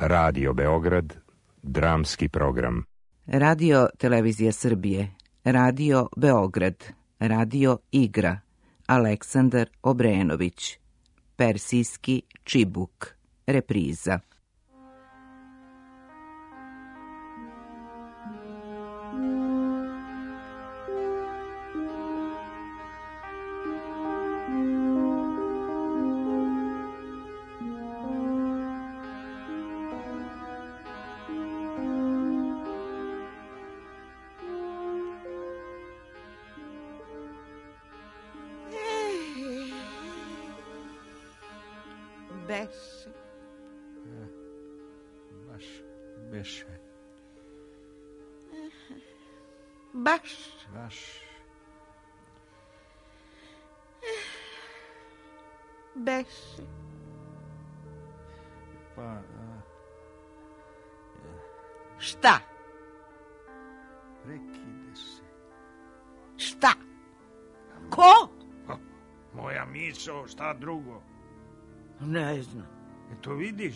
Radio Beograd, dramski program. Radio Televizija Srbije, Radio Beograd, Radio Igra, Aleksandar Obrenović, Persijski čibuk, repriza. Beše. Pa... Šta? Prekide se. Šta? Ko? Moja misao, šta drugo? Ne znam. Eto vidiš?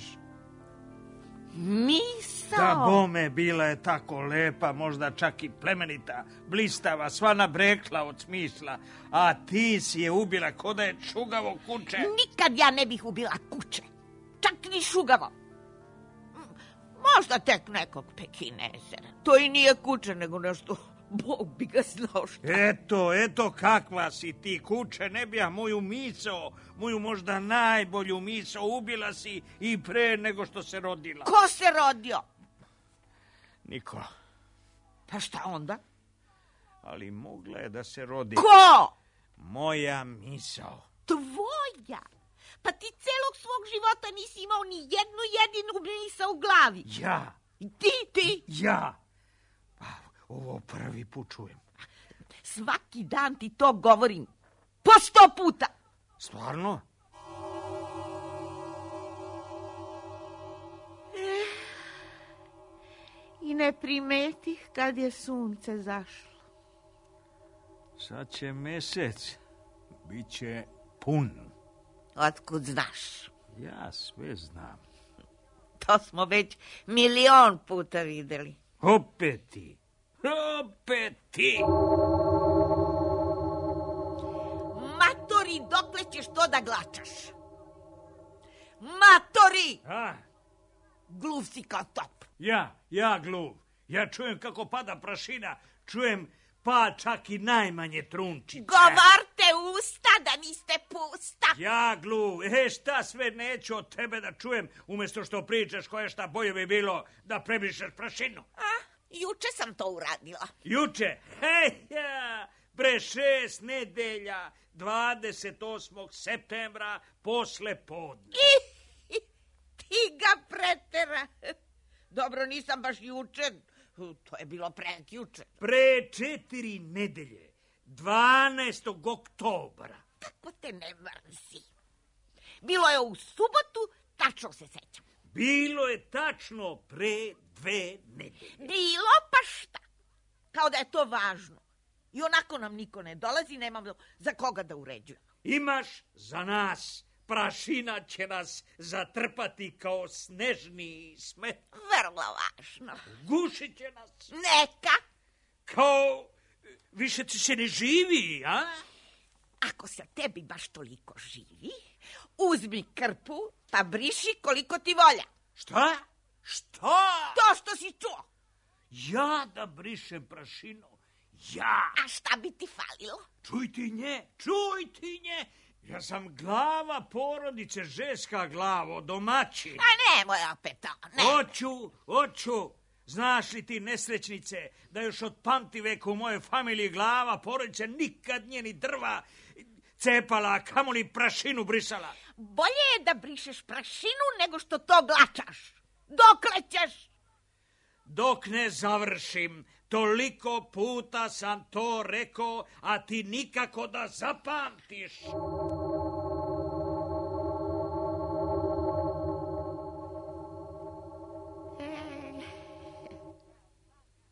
Misao? Da bome, bila je tako lepa, možda čak i plemenita, blistava, sva nabrekla od smisla, a ti si je ubila ko da je šugavo kuće. Nikad ja ne bih ubila kuće, čak ni šugavo. Možda tek nekog Pekinezera. To i nije kuće, nego nešto, Bog bi ga znao šta. Eto kakva si ti, kuće, ne bi ja moju misao, moju možda najbolju misao ubila si i pre nego što se rodila. Ko se rodio? Niko. Pa šta onda? Ali mogla je da se rodi. Ko? Moja misao. Tvoja? Pa ti celog svog života nisi imao ni jednu jedinu misao u glavi. Ja. Ti? Ja. Pa, ovo prvi put čujem. Svaki dan ti to govorim. Po 100 puta. Stvarno? I ne primetih kad je sunce zašlo. Sad će mesec. Biće pun. Otkud znaš? Ja sve znam. To smo već 1.000.000 puta videli. Opet ti. Matori, dokle ćeš to da glačaš? Matori! A? Gluv si kao top. Ja gluv. Ja čujem kako pada prašina. Čujem pa čak i najmanje trunčice. Govorte usta da niste pusta. Ja gluv. Šta sve neću od tebe da čujem, umjesto što pričaš koje šta bolje bi bilo da prebrišeš prašinu. Juče sam to uradila. Juče? Pre 6 nedelja, 28. septembra, posle podne. Ti ga pretera. Dobro, nisam baš juče. To je bilo prekjuče. Pre 4 nedelje, 12. oktobra. Kako te ne mrzi? Bilo je u subotu, tačno se sećam. Bilo je tačno pre 2 nedelje. Bilo pa šta? Kao da je to važno. I onako nam niko ne dolazi, nemamo za koga da uređujemo. Imaš za nas, prašina će nas zatrpati kao snežni smet. Vrlo važno. Gušit će nas. Neka. Kao više ti se ne živi, a? Ako se tebi baš toliko živi, uzmi krpu pa briši koliko ti volja. Šta? To što si čuo. Ja da brišem prašinu? Ja? A šta bi ti falilo? Čuj ti nje. Ja sam glava porodice, ženska glava, domaćin. A nemoj opet to, ne. Hoću. Znaš li ti, nesrećnice, da još od pamtiveka u mojoj familiji glava porodice nikad nije ni drva cepala, a kamoli prašinu brisala? Bolje je da brišeš prašinu nego što to glačaš. Dokle ćeš? Dok ne završim. Toliko puta sam to rekao, a ti nikako da zapamtiš.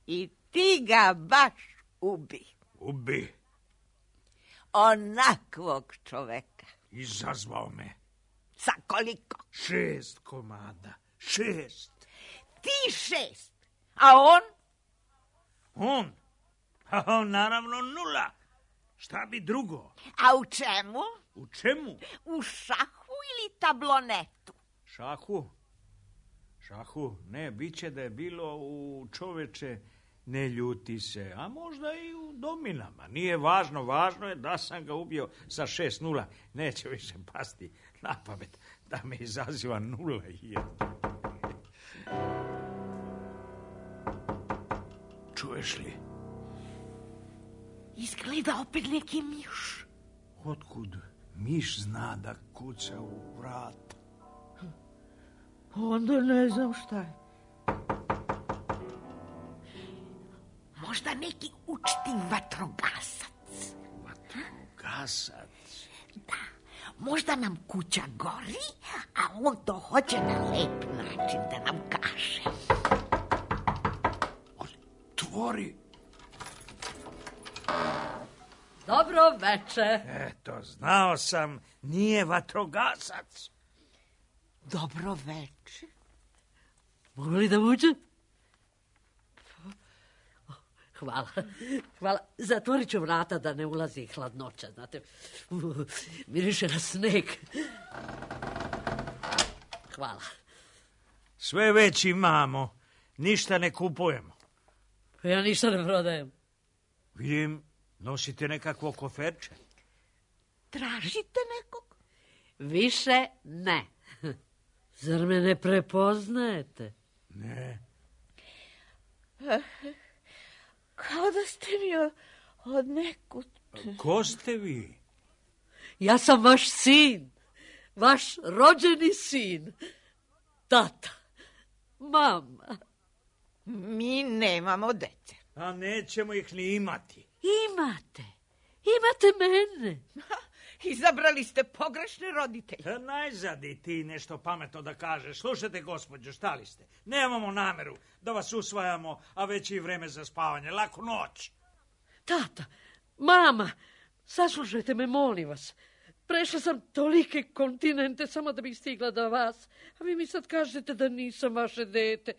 I ti ga baš ubi. Ubi? Onakvog čoveka. Izazvao me. Sa koliko? 6 komada. 6. Ti 6. A on? On? A on naravno 0. Šta bi drugo? A u čemu? U čemu? U šahu ili tablonetu? Šahu? Šahu? Ne, bit će da je bilo u čoveče ne ljuti se, a možda i u dominama. Nije važno, važno je da sam ga ubio sa 6-0. Neće više pasti na pamet da me izaziva 0-1. Čuješ li? Izgleda opet neki miš. Otkud miš zna da kuca u vrat? Onda ne znam šta je. Možda neki učti vatrogasac. Vatrogasac? Da, možda nam kuća gori, a on to hoće na lep način da nam kaže. Otvori. Dobro veče. Eto, znao sam, nije vatrogasac. Dobro veče. Mogu li da uđem? Hvala. Zatvorit ću vrata da ne ulazi hladnoća, znate. Miriše na sneg. Hvala. Sve već imamo, ništa ne kupujemo. Ja ništa ne prodajem. Vidim, nosite nekakvo koferče. Tražite nekog? Više ne. Zar me ne prepoznajete? Ne. Kao da ste mi od nekud. Ko ste vi? Ja sam vaš sin. Vaš rođeni sin. Tata. Mama. Mi nemamo dece. A nećemo ih ni imati. Imate mene. Izabrali ste pogrešne roditelje. Najzad i ti nešto pametno da kažeš. Slušajte, gospođo, šta li ste? Nemamo nameru da vas usvajamo, a već i vreme za spavanje. Laku noć. Tata, mama, saslušajte me, molim vas. Prešla sam tolike kontinente samo da bih stigla do vas, a vi mi sad kažete da nisam vaše dete.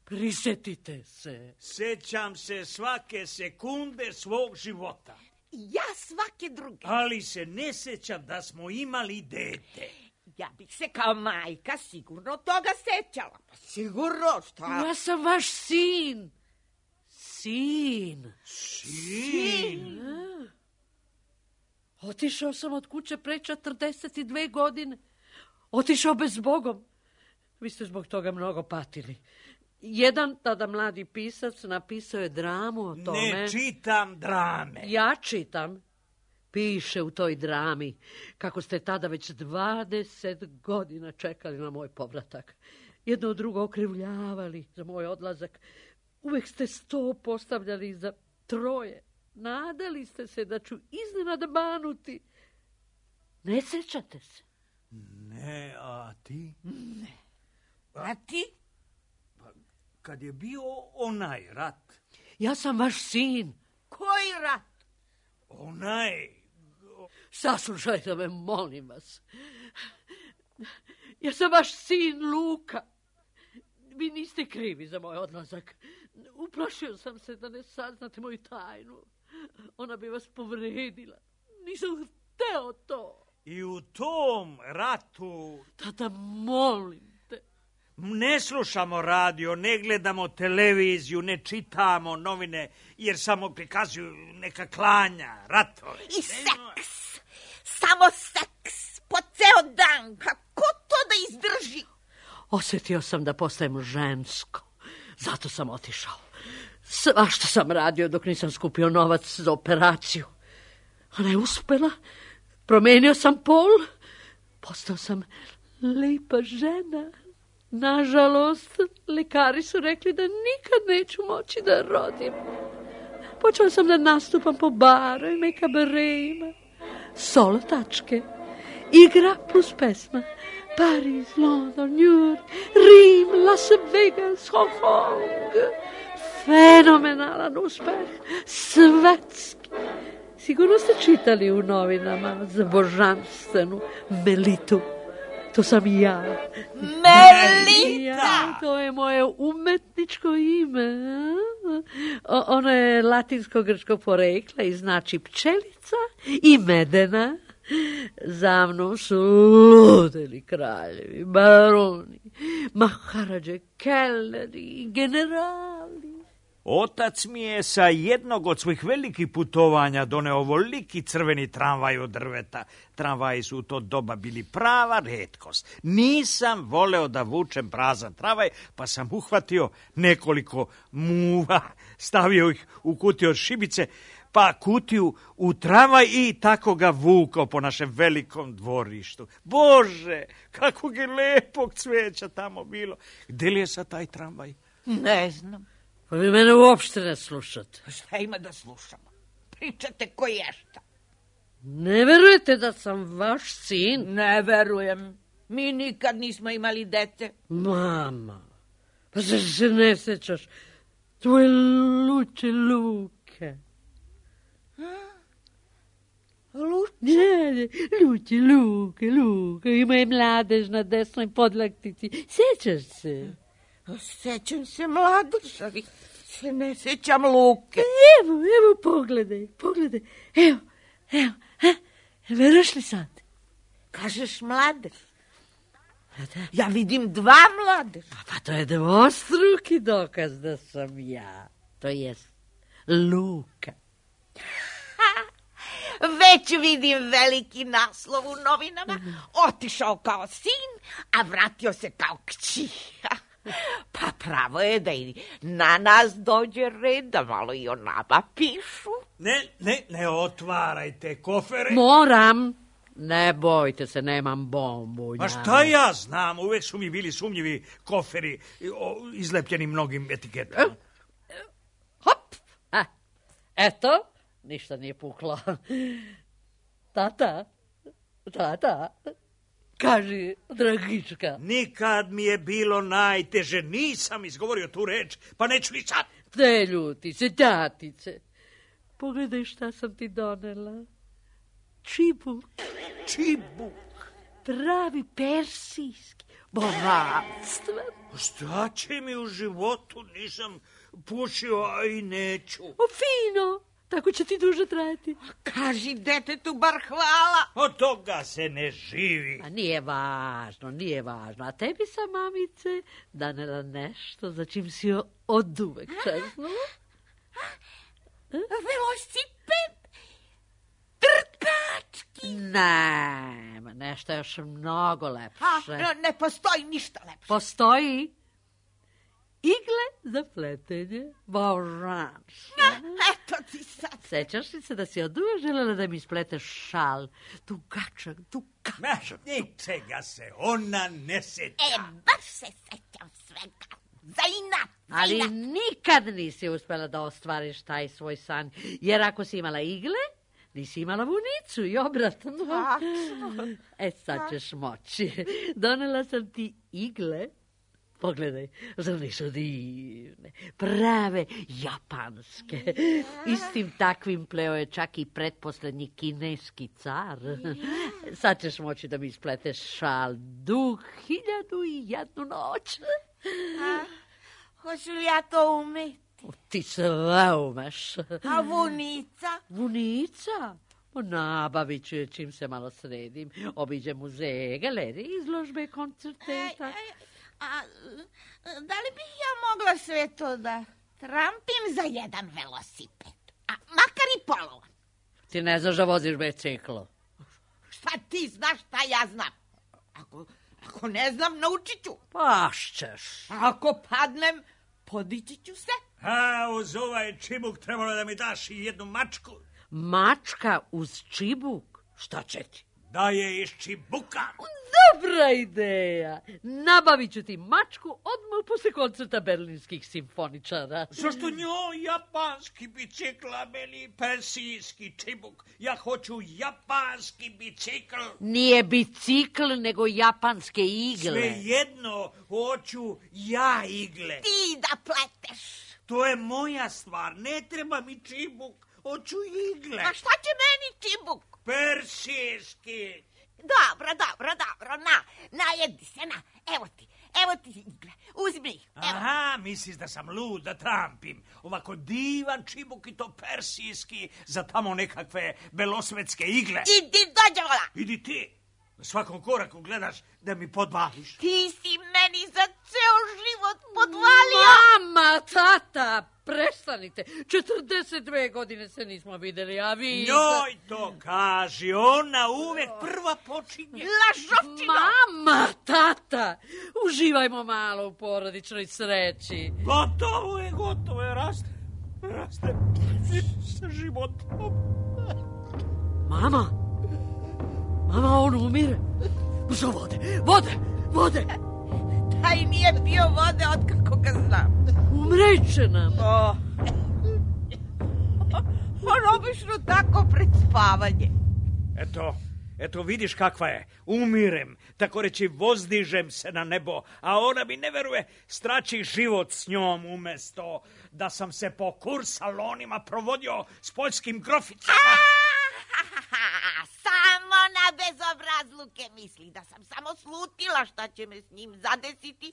Prisjetite se. Sećam se svake sekunde svog života. Ja svake druge. Ali se ne sećam da smo imali dete. Ja bih se kao majka sigurno toga sećala. Pa sigurno, šta? Ja sam vaš sin. Sin? Otišao sam od kuće pre 42 godine. Otišao bez Bogom. Vi ste zbog toga mnogo patili. Jedan tada mladi pisac napisao je dramu o tome. Ne čitam drame. Ja čitam. Piše u toj drami kako ste tada već 20 godina čekali na moj povratak. Jedno od drugo okrivljavali za moj odlazak. Uvek ste 100 postavljali za 3. Nadali ste se da ću iznenada banuti. Ne sećate se? Ne, a ti? Ne. A ti? Kad je bio onaj rat. Ja sam vaš sin. Koji rat? Onaj... Saslušajte me, molim vas. Ja sam vaš sin Luka. Vi niste krivi za moj odlazak. Uplašio sam se da ne saznate moju tajnu. Ona bi vas povredila. Nisam hteo to. I u tom ratu... Tata, molim te. Ne slušamo radio, ne gledamo televiziju, ne čitamo novine, jer samo prikazuju neka klanja, ratove. I seks. Samo seks. Po ceo dan. Kako to da izdrži? Osjetio sam da postajem žensko. Zato sam otišao. Svašta sam radio dok nisam skupio novac za operaciju. Ona je uspela. Promenio sam pol. Postao sam lipa žena. Nažalost, lekari su rekli da nikad neću moći da rodim. Počela sam da nastupam po barovima i kabareima. Solo tačke. Igra plus pesma. Paris, London, New York, Rim, Las Vegas, Hong Kong. Fenomenalan uspeh. Svetski. Sigurno ste čitali u novinama za božanstvenu Melitu. To sam ja. Melita! Ja, to je moje umetničko ime. Ono je latinsko-grčkog porekla i znači pčelica i medena. Za mnom su ludeli kraljevi, baroni, maharadže, kelneri, generali. Otac mi je sa jednog od svojih velikih putovanja doneo ovoliki crveni tramvaj od drveta. Tramvaji su u to doba bili prava retkost. Nisam voleo da vučem prazan tramvaj, pa sam uhvatio nekoliko muva, stavio ih u kutiju od šibice, pa kutiju u tramvaj i tako ga vukao po našem velikom dvorištu. Bože, kakvog je lepog cveća tamo bilo. Gde li je sad taj tramvaj? Ne znam. Pa vi mene uopšte ne slušate. Šta ima da slušamo? Pričate ko ješta. Ne verujete da sam vaš sin? Ne verujem. Mi nikad nismo imali dete. Mama, pa zar se ne sećaš tvoje luče Luke? Luče? Ne, luče Luke, ima je mladež na desnoj podlaktici. Sećaš se? Sećam se mladež, ali se ne sećam Luke. Evo, pogledaj. Evo, veruješ li sad? Kažeš mladež? Da. Ja vidim dva mladeža. Pa to je dvostruki dokaz da sam ja. To jest Luka. Već vidim veliki naslov u novinama. Otišao kao sin, a vratio se kao kći. Pa pravo je da i na nas dođe red, da malo i o nama pišu. Ne otvarajte kofere. Moram. Ne bojte se, nemam bombu. A šta ja znam, uvek su mi bili sumnjivi koferi izlepljeni mnogim etiketama. Hop! Eto, ništa nije puklo. Tata, kaži, dragička. Nikad mi je bilo najteže, nisam izgovorio tu reč, pa neću ni sad. Te ljutice, tatice. Pogledaj šta sam ti donela. Čibuk. Pravi persijski. Bogatstven. Šta će mi u životu, nisam pušio, a i neću. Fino, tako će ti duže trajati. Kaži detetu bar hvala. Od toga se ne živi. A nije važno. A tebi sam, mamice, donela nešto za čim si oduvek čeznula. Velosiped. Trkački. Nema, nešto još mnogo lepše. Ne postoji ništa lepše. Postoji igle za pletenje, božansko. Eto ti sad. Sećaš li se da si oduvek želela da mi spleteš šal? Dugačak. Ničega se ona ne seća. Baš se sećam svega. Za inat. Ali nikad nisi uspela da ostvariš taj svoj san, jer ako si imala igle, nisi imala vunicu i obratno. Sad ćeš moći. Donela sam ti igle. Pogledaj, zar nisu divne, prave japanske. Istim takvim pleo je čak i pretposlednji kineski car. Sad ćeš moći da mi ispleteš šal du 1001 noć. Hoću li ja to umeti? Ti sve umeš. A vunica? Vunica? Nabavit ću je čim se malo sredim. Obiđem muzeje, galerije, izložbe, koncerte. Da li bih ja mogla sve to da trampim za jedan velosiped? A makar i polovan. Ti ne znaš da voziš biciklo. Šta ti znaš, šta ja znam? Ako ne znam, naučit ću. Pašćeš. Ako padnem, podići ću se. Uz ovaj čibuk trebalo da mi daš i jednu mačku. Mačka uz čibuk? Šta će ti? Da je iz čibuka. Dobra ideja. Nabavit ću ti mačku odmah posle koncerta berlinskih simfoničara. Zašto njoj japanski bicikl, a meni persijski čibuk? Ja hoću japanski bicikl. Nije bicikl, nego japanske igle. Svejedno, hoću ja igle. Ti da pleteš. To je moja stvar, ne treba mi čibuk. Hoću igle. A šta će meni čibuk? Persijski. Dobro, najedi se, evo ti igle, uzmi. Aha, misliš da sam lud da trampim ovako divan čibuk i to persijski za tamo nekakve belosvetske igle. Idi dođe, vola. Idi ti, na svakom koraku gledaš da mi podvališ. Ti si meni za ceo život podvalio. Mama, tata, prestanite. 42 godine se nismo videli, a vi... Njoj to kaži, ona uvek prva počinje. Lažovčino. Mama, tata, uživajmo malo u porodičnoj sreći. Gotovo je, raste sa životom. Mama, on umire. Za vode. Taj nije pio vode od kako ga znam. Umreće nam. On obično tako pred spavanje. Eto vidiš kakva je. Umirem, tako reći vozdižem se na nebo, a ona mi ne veruje, strači život s njom umesto da sam se po kursalonima provodio s poljskim groficama. Samo na bezobrazluke misli, da sam samo slutila šta će me s njim zadesiti,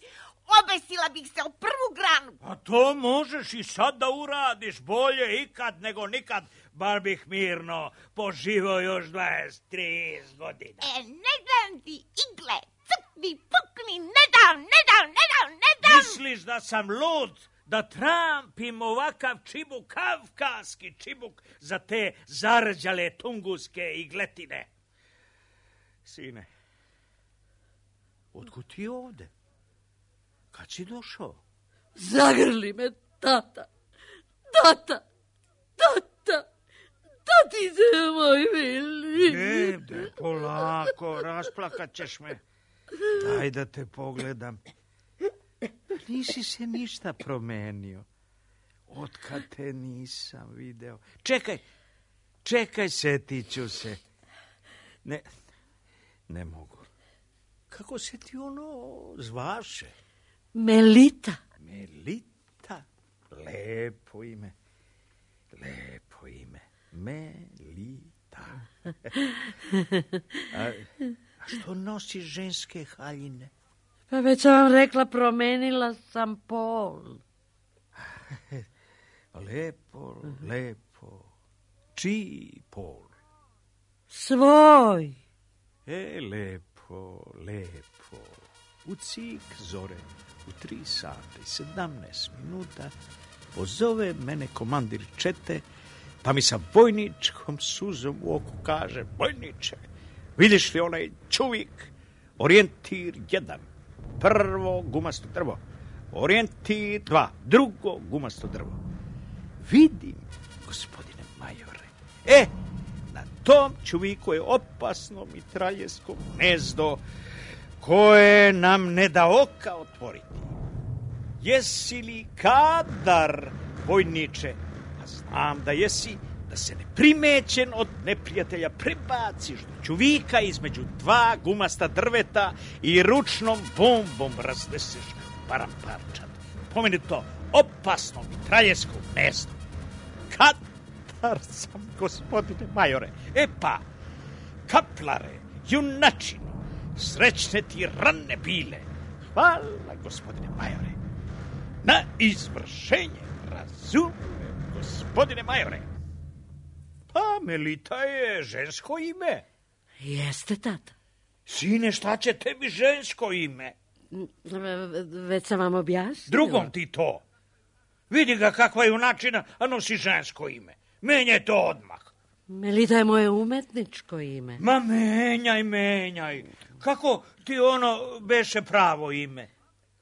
obesila bih se u prvu granu. A to možeš i sad da uradiš, bolje ikad nego nikad, bar bih mirno poživao još 23 godina. Ne dam ti igle, crkni, pukni, ne dam. Misliš da sam lud? Da trampim ovakav čibuk, kavkaski čibuk za te zarđale tunguske igletine. Sine, otkud ti ovde? Kad si došao? Zagrli me, tata, se moj mili. Ne, polako, rasplakat ćeš me. Daj da te pogledam. Nisi se ništa promenio. Otkad te nisam video. Čekaj, setit ću se. Ne mogu. Kako se ti ono zvaše? Melita. Melita? Lepo ime. Melita. A što nosiš ženske haljine? Pa već sam vam rekla, promenila sam pol. Lepo. Čiji pol? Svoj. Lepo. U cik zore, u 3 sata i 17 minuta, pozove mene komandir čete, pa mi sa bojničkom suzom u oku kaže: bojniče, vidiš li onaj čuvik, orijentir 1, prvo gumasto drvo, orijentir 2, drugo gumasto drvo. Vidim, gospodine majore, na tom čuviku je opasno mitraljesko gnezdo koje nam ne da oka otvoriti. Jesi li kadar, vojniče? A znam da jesi, da se neprimećen od neprijatelja prebaciš do čuvika između 2 gumasta drveta i ručnom bombom razneseš paramparčad. Pomeni to opasno mitraljesko gnezdo. Kadar sam, gospodine majore. Pa, kaplare, junačino, srećne ti rane bile. Hvala, gospodine majore. Na izvršenje, razumem, gospodine majore. Pa, Melita je žensko ime. Jeste, tata. Sine, šta će tebi žensko ime? Već sam vam objasnila. Drugom ti to. Vidi ga kakva je junačina, a nosi žensko ime. Menjaj to odmah. Melita je moje umetničko ime. Ma menjaj. Kako ti ono beše pravo ime?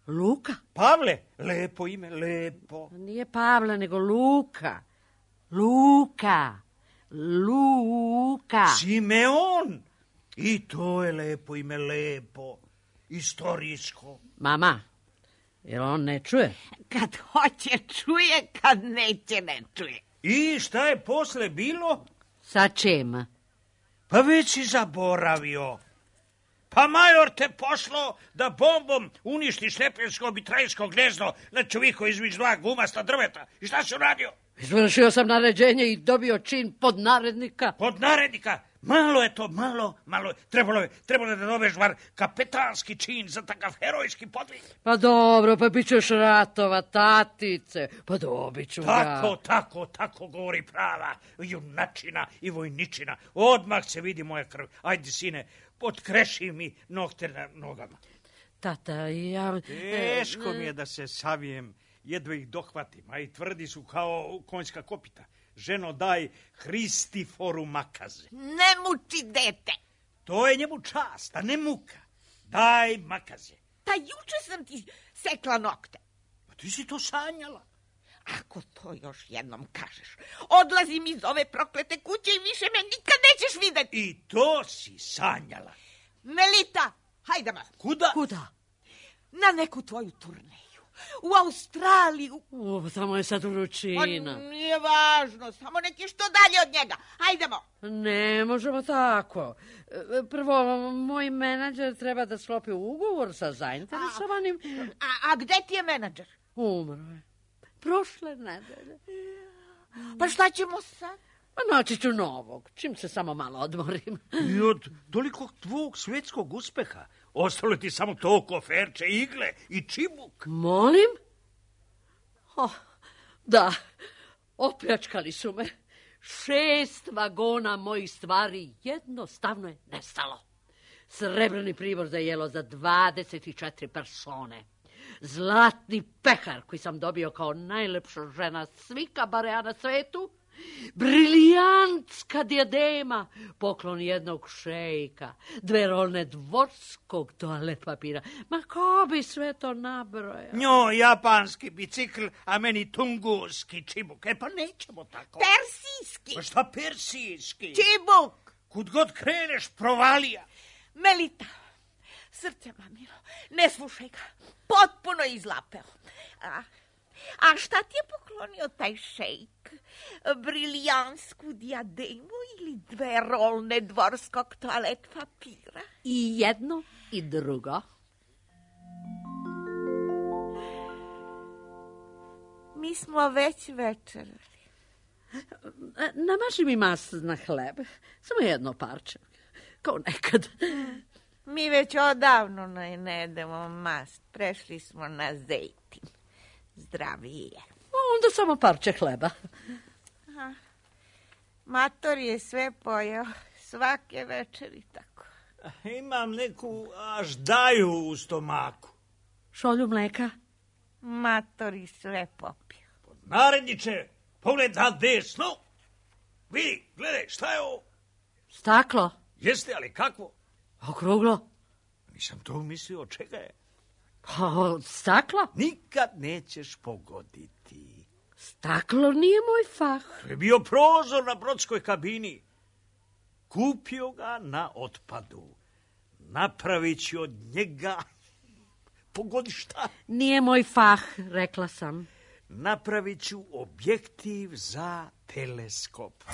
Luka. Pavle, lepo ime, lepo. Nije Pavle, nego Luka. Luka. Simeon. I to je lepo ime, lepo. Istorijsko. Mama, jer on ne čuje? Kad hoće čuje, kad neće ne čuje. I šta je posle bilo? Sa čim? Pa već si zaboravio. Pa major te poslao da bombom uništiš neprijateljsko mitraljsko gnezdo na čoviku između 2 gumasta drveta. I šta si uradio? Izvršio sam naređenje i dobio čin podnarednika. Podnarednika? Malo je to, malo. Trebalo je da dobiješ bar kapetanski čin za takav herojski podvig. Pa dobro, pa bit ćeš ratova, tatice. Pa dobit ću ga. Tako govori prava junačina i vojničina. Odmah se vidi moja krv. Ajde, sine, potkreši mi nokte na nogama. Tata, ja... Teško mi je da se savijem, jedva ih dohvatim, a i tvrdi su kao konjska kopita. Ženo, daj Hristiforu makaze. Ne muči dete. To je njemu čast, a ne muka. Daj makaze. Pa juče sam ti sekla nokte. Pa ti si to sanjala. Ako to još jednom kažeš, odlazim iz ove proklete kuće i više me nikad nećeš vidjeti. I to si sanjala. Melita, hajdemo. Kuda? Na neku tvoju turneju. U Australiju. Tamo je sad vrućina. Pa nije važno, samo neki što dalje od njega. Hajdemo. Ne možemo tako. Prvo, moj menadžer treba da sklopi ugovor sa zainteresovanim. A gde ti je menadžer? Umro je. Prošle nedelje. Pa šta ćemo sad? Pa naći ću novog, čim se samo malo odmorim. I od toliko tvog svjetskog uspeha ostalo ti samo to koferče, igle i čibuk. Molim? Da, opljačkali su me. 6 vagona mojih stvari jednostavno je nestalo. Srebrni pribor za jelo za 24 persone. Zlatni pehar koji sam dobio kao najlepša žena svika barea na svetu. Brilijantska diadema, poklon jednog šejka, 2 rolne dvorskog toalet papira. Ma ko bi sve to nabrojao? Njoj japanski bicikl, a meni tunguski čibuk. Pa nećemo tako. Persijski. Pa šta persijski? Čibuk. Kud god kreneš, provalija. Melita, srce mamino, ne slušaj ga. Potpuno izlapeo. A šta ti je poklonio taj šejk? Brilijansku diademu ili 2 rolne dvorskog toalet papira? I jedno i drugo. Mi smo već večerali. Namaži mi mast na hleb. Samo jedno parče. Kao nekad. Mi već odavno ne jedemo mast. Prešli smo na zejtin. Zdravije. Onda samo parče hleba. Mator je sve pojeo. Svake večeri tako. Imam neku aždaju u stomaku. Šolju mleka? Mator je sve popio. Naredniče, pogledaj desno. Vidi, gledaj, šta je ovo? Staklo. Jeste, ali kakvo? Okruglo. Nisam to mislio, od čega je? Staklo? Nikad nećeš pogoditi. Staklo nije moj fah. To je bio prozor na brodskoj kabini. Kupio ga na otpadu. Napravit ću od njega... Pogodi šta? Nije moj fah, rekla sam. Napravit ću objektiv za teleskop.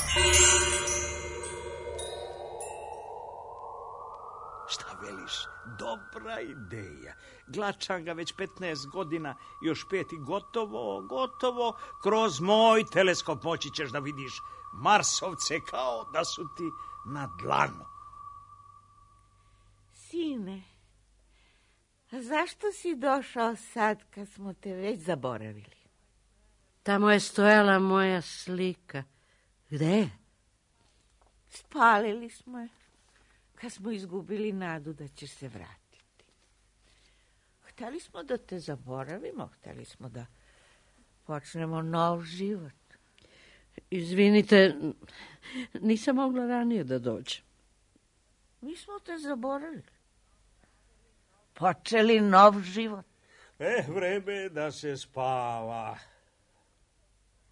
Šta veliš? Dobra ideja. Glačam ga već 15 godina, još 5 i gotovo. Kroz moj teleskop moći ćeš da vidiš Marsovce kao da su ti na dlanu. Sine, zašto si došao sad kad smo te već zaboravili? Tamo je stojala moja slika. Gde je? Spalili smo je. Kad smo izgubili nadu da ćeš se vratiti. Hteli smo da te zaboravimo, hteli smo da počnemo nov život. Izvinite, nisam mogla ranije da dođem. Mi smo te zaboravili. Počeli nov život. Vreme je da se spava.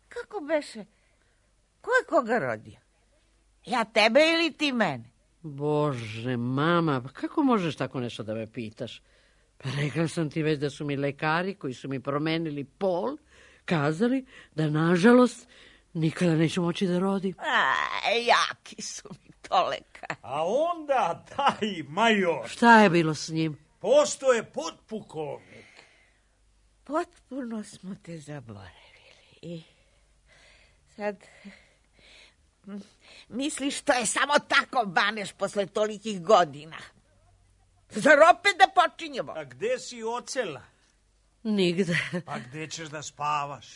Kako beše? Ko je koga rodio? Ja tebe ili ti mene? Bože, mama, kako možeš tako nešto da me pitaš? Pa rekla sam ti već da su mi lekari koji su mi promenili pol kazali da, nažalost, nikada neću moći da rodim. Jaki su mi to lekari. A onda taj major. Šta je bilo s njim? Postoje potpukovnik. Potpuno smo te zaboravili. I sad Misliš to je samo tako baneš posle tolikih godina? Zar opet da počinjemo? A gde si ocela? Nigde. A gde ćeš da spavaš?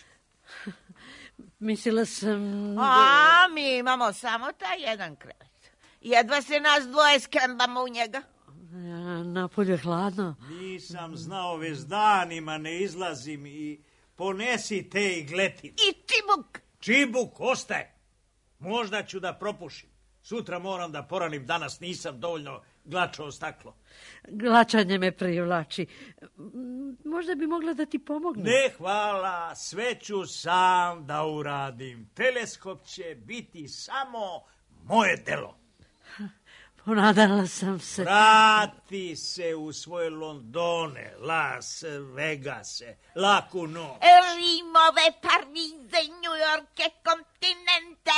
Mislila sam... A, mi imamo samo taj jedan krevet. Jedva se nas dvoje skembamo u njega. Napolju je hladno. Nisam znao, već danima ne izlazim i ponesi te igletine. I čibuk. Čibuk, ostaje. Možda ću da propušim. Sutra moram da poranim, danas nisam dovoljno glačao staklo. Glačanje me privlači. Možda bi mogla da ti pomogne. Ne, hvala, sve ću sam da uradim. Teleskop će biti samo moje delo. Ponadala sam se. Vrati se u svoje Londone, Las Vegase, laku noć. Rimove, Parize, Njujorke, kontinente.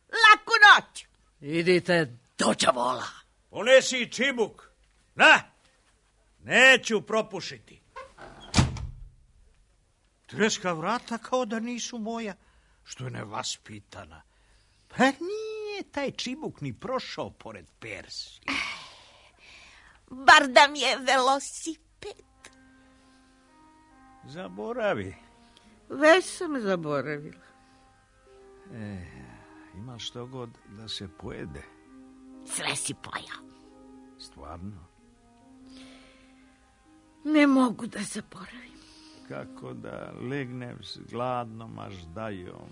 Laku noć. Idite do đavola. Ponesi čibuk. Na, neću propušiti. Treska vrata kao da nisu moja, što je nevaspitana. Pa nije taj čibuk ni prošao pored Persije. Bar da mi je velosiped. Zaboravi. Već sam zaboravila. Ima što god da se pojede. Sve si pojao. Stvarno? Ne mogu da zaboravim. Kako da legnem s gladnom aždajom.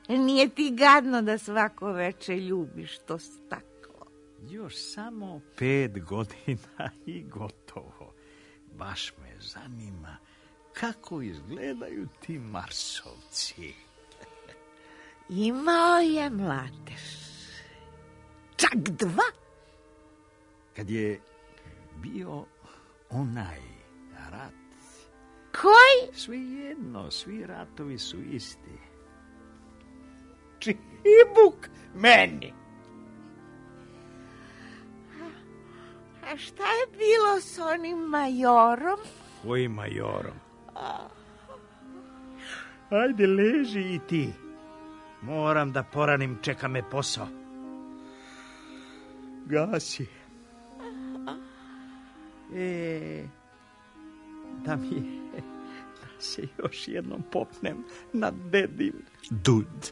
Nije ti gadno da svako veče ljubiš to staklo? Još samo 5 godina i gotovo. Baš me zanima kako izgledaju ti Marsovci. Imao je mladež. Čak 2. Kad je bio onaj rat. Koji? Svejedno, svi ratovi su isti. Čibuk meni. A šta je bilo s onim majorom? Kojim majorom? Ajde, leži i ti. Moram da poranim, čeka me posao. Gasi. Da se još jednom popnem na dedin dud.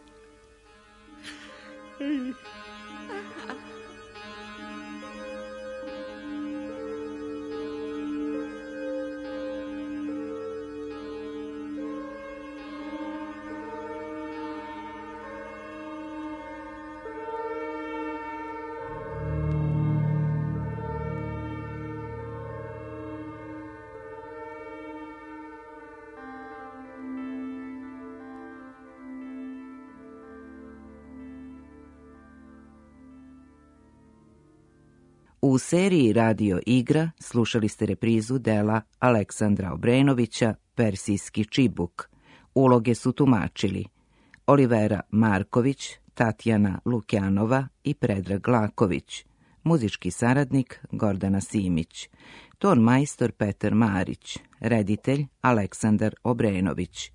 U seriji Radio igra slušali ste reprizu dela Aleksandra Obrenovića Persijski čibuk. Uloge su tumačili Olivera Marković, Tatjana Lukjanova i Predrag Laković. Muzički saradnik Gordana Simić. Ton majstor Petar Marić. Reditelj Aleksandar Obrenović.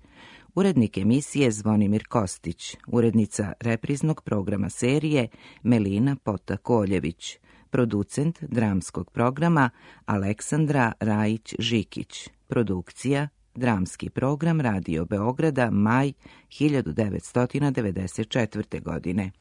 Urednik emisije Zvonimir Kostić. Urednica repriznog programa serije Melina Pota-Koljević. Producent dramskog programa Aleksandra Rajić-Žikić. Produkcija Dramski program Radio Beograda, maj 1994. godine.